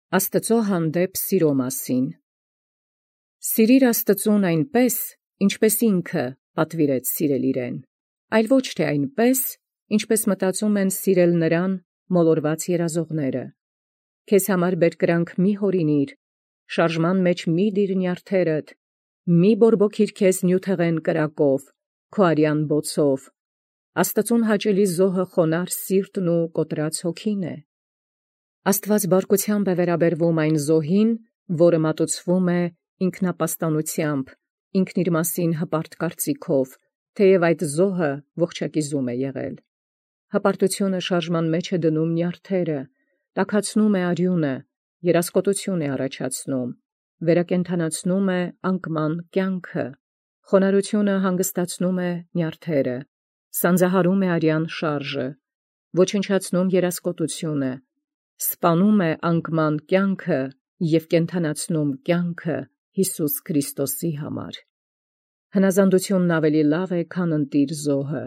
Աստծո հանդեպ սիրո մասին։ Սիրիր Աստծուն այնպես, ինչպես ինքը պատվիրեց սիրել իրեն, այլ ոչ թե այնպես, ինչպես մտածում են սիրել նրան մոլորված երազողները։ Քեզ համար բերկրանք մի հորինիր, շարժման մեջ մի դիր նյարդերդ, մի բորբոքիր քեզ նյութեղեն կրակով, քո արյան բոցով։ Աստծուն հաճելի զոհը խոնար սիրտն ու կոտրած հոգին է։ Աստված բարկությամբ է վերաբերվում այն զոհին, որը մատուցվում է ինքնապաստանությամբ, ինքն իր մասին հպարտ կարծիքով, թեև այդ զոհը ողջակիզում է եղել։ Հպարտությունը շարժման մեջ է դնում նյարդերը, տաքացնում է արյունը, երասկոտություն է առաջացնում, վերակենդանացնում է անկման կյանքը, խոնարհությունը հանգստացնում է նյարդերը, սանձահարում է արյան շարժը, ոչնչացնում երասկոտությունը, սպանում է անկման կյանքը և կենդանացնում կյանքը Հիսուս Քրիստոսի համար։ Հնազանդությունն ավելի լավ է, քան ընտիր զոհը,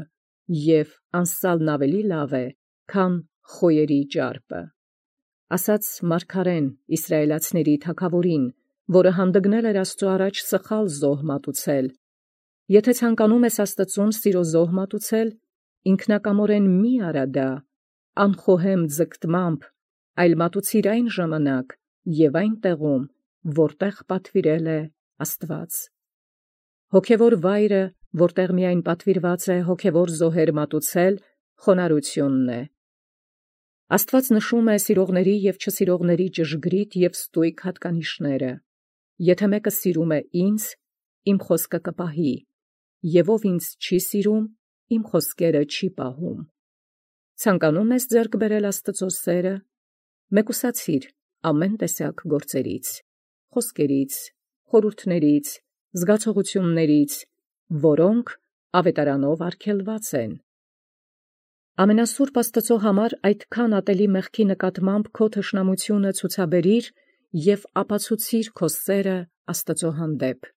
և անսալն ավելի լավ է, քան խոյերի ճարպը։ Ասաց մարգարեն իսրայելացիների թագավորին, որը հանդգնել էր Աստծո առաջ սխալ զոհ մատուցել. «Եթե ցանկանում ես Աստծուն սիրո զոհ մատուցել, ինքնակամորեն մի արա դա, անխոհեմ ձգտմամբ, այլ մատուցիր այն ժամանակ և այն տեղում, որտեղ պատվիրել է Աստված»։ Հոգևոր վայրը, որտեղ միայն պատվիրված է հոգևոր զոհեր մատուցել, խոնարհությունն է։ Աստված նշում է սիրողների և չսիրողների ճշգրիտ և ստույգ հատկանիշները։ Եթե մեկը սիրում է ինձ, իմ խոսքը կպահի, և ով ինձ չի սիրում, իմ խոսքերը չի պահում։ Ցանկանում ես ձեռք բերել Աստծո սերը, մեկուսացիր ամեն տեսակ գործերից, խոսքերից, խորհուրդներից, զգացողություններից, որոնք ավետարանով արգելված են։ Ամենասուրբ Աստծո համար այդքան ատելի մեղքի նկատմամբ քո թշնամությունը ցուցաբերիր և ապացուցիր քո սերը Աստծո հանդեպ։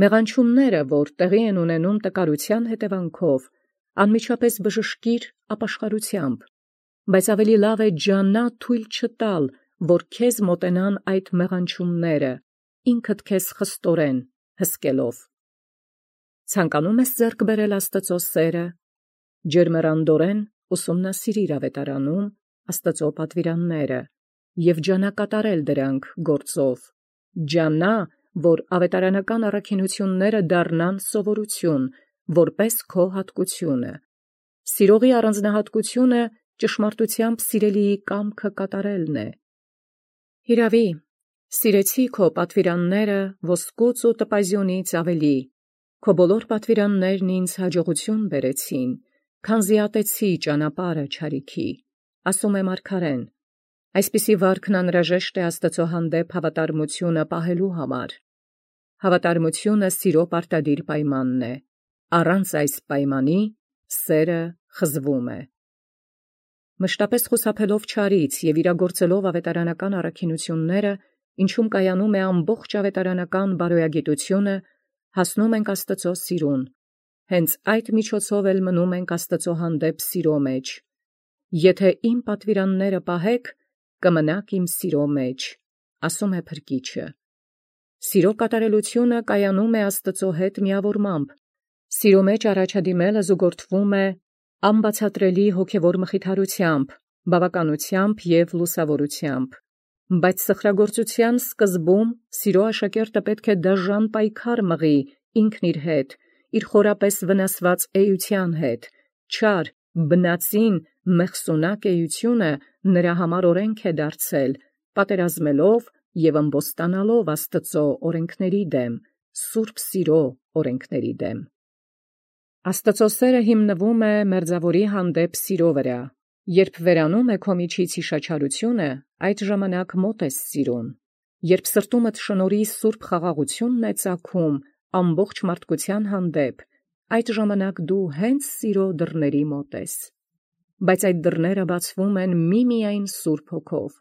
Մեղանչումները, որ տեղի են ունենում տկարության հետևանքով, անմիջապես բժշկիր ապաշխարությամբ, բայց ավելի լավ է ջանա թույլ չտալ, որ քեզ մոտենան այդ մեղանչումները, ինքդ քեզ խստորեն հսկելով։ Ցանկանում ես ձեռք բերել Աստծո սերը, ջերմեռանդորեն ուսումնասիրիր ավետարանում Աստծո պատվիրանները և ջանա կատարել դրանք գործով, ջանա, որ ավետարանական առաքինությունները դառնան սովորություն, որպես քո հատկությունը։ Սիրողի առանձնահատկությունը ճշմարտությամբ սիրելիի կամքը կատարելն է։ Հիրավի, սիրեցի քո պատվիրանները ոսկուց ու տպազյունից ավելի, քո բոլոր պատվիրաններն ինձ հաջողություն բերեցին, քանզի ատեցի ճանապարհը չարիքի, ասում է մարգարեն։ Այսպիսի վարքն անհրաժեշտ է Աստծո հանդեպ հավատարմությունը պահելու համար։ Հավատարմությունը սիրո պարտադիր պայմանն է։ Առանց այս պայմանի սերը խզվում է։ Մշտապես խուսափելով չարից և իրագործելով ավետարանական առաքինությունները, ինչում կայանում է ամբողջ ավետարանական բարոյագիտությունը, հասնում ենք Աստծո սիրուն։ Հենց այդ միջոցով էլ մնում ենք Աստծո հանդեպ սիրո մեջ։ Եթե իմ պատվիրանները պահեք, կմնաք իմ սիրո մեջ, ասում է Փրկիչը։ Սիրո կատարելությունը կայանում է Աստծո հետ միավորմամբ։ Սիրո մեջ առաջադիմելը զուգորդվում է անբացատրելի հոգևոր մխիթարությամբ, բավականությամբ և լուսավորությամբ։ Բայց սխրագործության սկզբում սիրո աշակերտը պետք է դաժան պայքար մղի ինքն իր հետ, իր խորապես վնասված էության հետ, չար, բնածին, մեղսունակ էությունը նրա համար օրենք է դարձել, պատերազմելով և ըմբոստանալով Աստծո օրենքների դեմ, սուրբ սիրո օրենքների դեմ։ Աստծո սերը հիմնվում է մերձավորի հանդեպ սիրո վրա։ Երբ վերանում է քո միջից իշաչարությունը, այդ ժամանակ մոտ ես սիրուն։ Երբ սրտումդ շնորհի սուրբ խաղաղությունն է ծագում ամբողջ մարդկության հանդեպ, այդ ժամանակ դու հենց սիրո դռների մոտ ես։ Բայց այդ դռները բացվում են միմիայն Սուրբ Հոգով։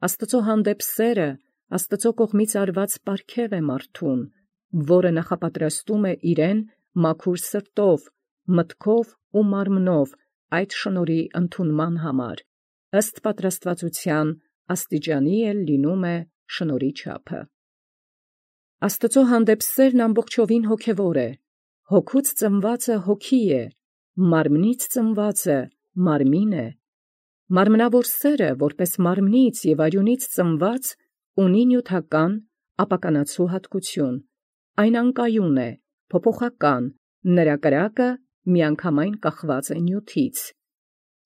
Աստծո հանդեպ սերը Աստծո կողմից արված պարգև է մարդուն, որը նախապատրաստում է իրեն մաքուր սրտով, մտքով ու մարմնով այդ շնորհի ընդունման համար, ըստ պատրաստվածության աստիճանի էլ լինում է շնորհի չափը։ Աստծո հանդեպ սերն ամբողջովին հոգևոր է, հոգուց ծնվածը հոգի է, մարմնից ծնվածը մարմին է։ Մարմնավոր սերը, որպես մարմնից և արյունից ծնված, ունի նյութական, ապականացու հատկություն, այն անկայուն է, փոփոխական, նրա կրակը միանգամայն կախված է նյութից։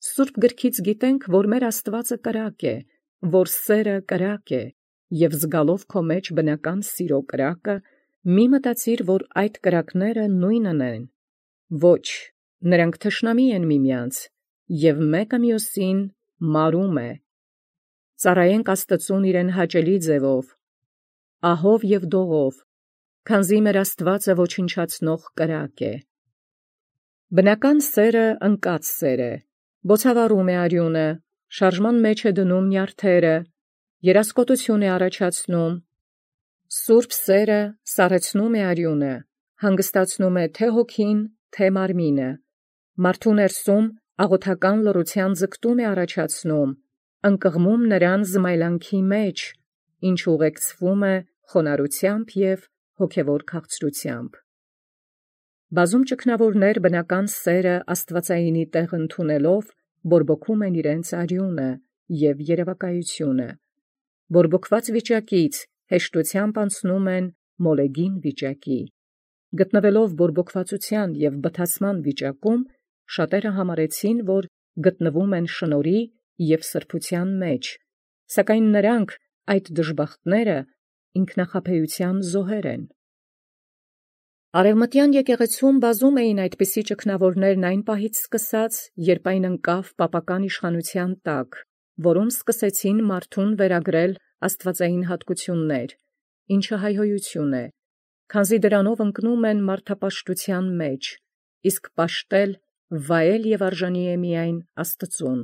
Սուրբ գրքից գիտենք, որ մեր Աստվածը կրակ է, որ սերը կրակ է, և զգալով քո մեջ բնական սիրո կրակը, մի մտածիր, որ այդ կրակները նույնն են։ Ոչ, նրանք թշնամի են միմյանց, և մեկը մյուսին մարում է։ Ծառայենք Աստծուն իրեն հաճելի ձևով, ահով և դողով, քանզի մեր Աստվածը ոչնչացնող կրակ է։ Բնական սերը ընկած սեր է, բոցավառում է արյունը, շարժման մեջ է դնում նյարդերը, երասկոտություն է առաջացնում։ Սուրբ սերը սառեցնում է արյունը, հանգստացնում է թե հոգին, թե մարմինը, մարդու ներսում աղոթական լռության ձգտում է առաջացնում, ընկղմում նրան զմայլանքի մեջ, ինչ ուղեկցվում է խոնարհությամբ և հոգևոր քաղցրությամբ։ Բազում ճգնավորներ բնական սերը աստվածայինի տեղ ընդունելով, բորբոքում են իրենց արյունը և երևակայությունը, բորբոքված վիճակից հեշտությամբ անցնում են մոլեգին վիճակի։ Գտնվելով բորբոքվածության և բթացման վիճակում, շատերը համարեցին, որ գտնվում են շնորհի և սրբության մեջ, սակայն նրանք, այդ դժբախտները, ինքնախաբեության զոհեր են։ Արևմտյան եկեղեցում բազում էին այդպիսի ճգնավորներն այն պահից սկսած, երբ այն ընկավ պապական իշխանության տակ, որում սկսեցին մարդուն վերագրել աստվածային հատկություններ, ինչը հայհոյություն է, քանզի դրանով ընկնում են մարդապաշտության մեջ, իսկ պաշտել, վայել և արժանի է միայն Աստծուն։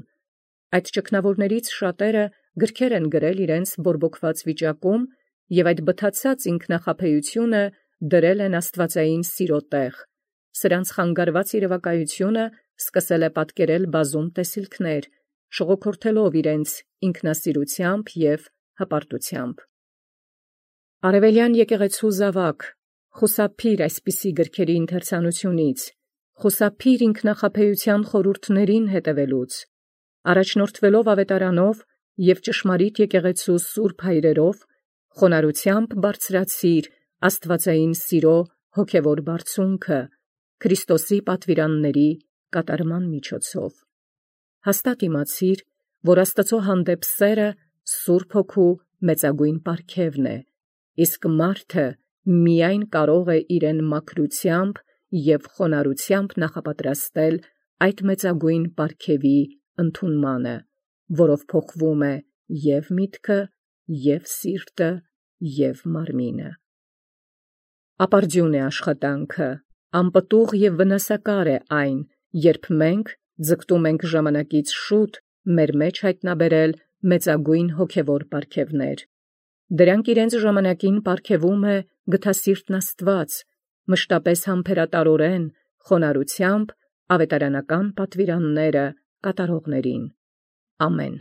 Այդ ճգնավորներից շատերը գրքեր են գրել իրենց բորբոքված վիճակում և այդ բթացած ինքնախաբեությունը դրել են աստվածային սիրո տեղ։ Սրանց խանգարված երևակայությունը սկսել է պատկերել բազում տեսիլքներ, շողոքորթելով իրենց ինքնասիրությամբ և հպարտությամբ։ Արևելյան եկեղեցու զավակ, խուսափիր այսպիսի գրքերի ընթերցանությունից, խուսափիր ինքնախաբեության խորհուրդներին հետևելուց, առաջնորդվելով ավետարանով և ճշմարիտ եկեղեցու սուրբ հայրերով, խոնարհությամբ բարձրացիր աստվածային սիրո հոգևոր բարձունքը Քրիստոսի պատվիրանների կատարման միջոցով։ Հաստատ իմացիր, որ Աստծո հանդեպ սերը Սուրբ Հոգու մեծագույն պարգևն է, իսկ մարդը միայն կարող է իրեն մաքրությամբ և խոնարհությամբ նախապատրաստել այդ մեծագույն պարգևի ընդունմանը, որով փոխվում է և միտքը, և սիրտը, և մարմինը։ Ապարդյուն է աշխատանքը, անպտուղ և վնասակար է այն, երբ մենք ձգտում ենք ժամանակից շուտ մեր մեջ հայտնաբերել մեծագույն հոգևոր պարգևներ։ Դրանք իրենց ժամանակին պարգևում է գթասիրտն Աստված, մշտապես համբերատարորեն, խոնարհությամբ ավետարանական պատվիրանները կատարողներին։ Ամեն։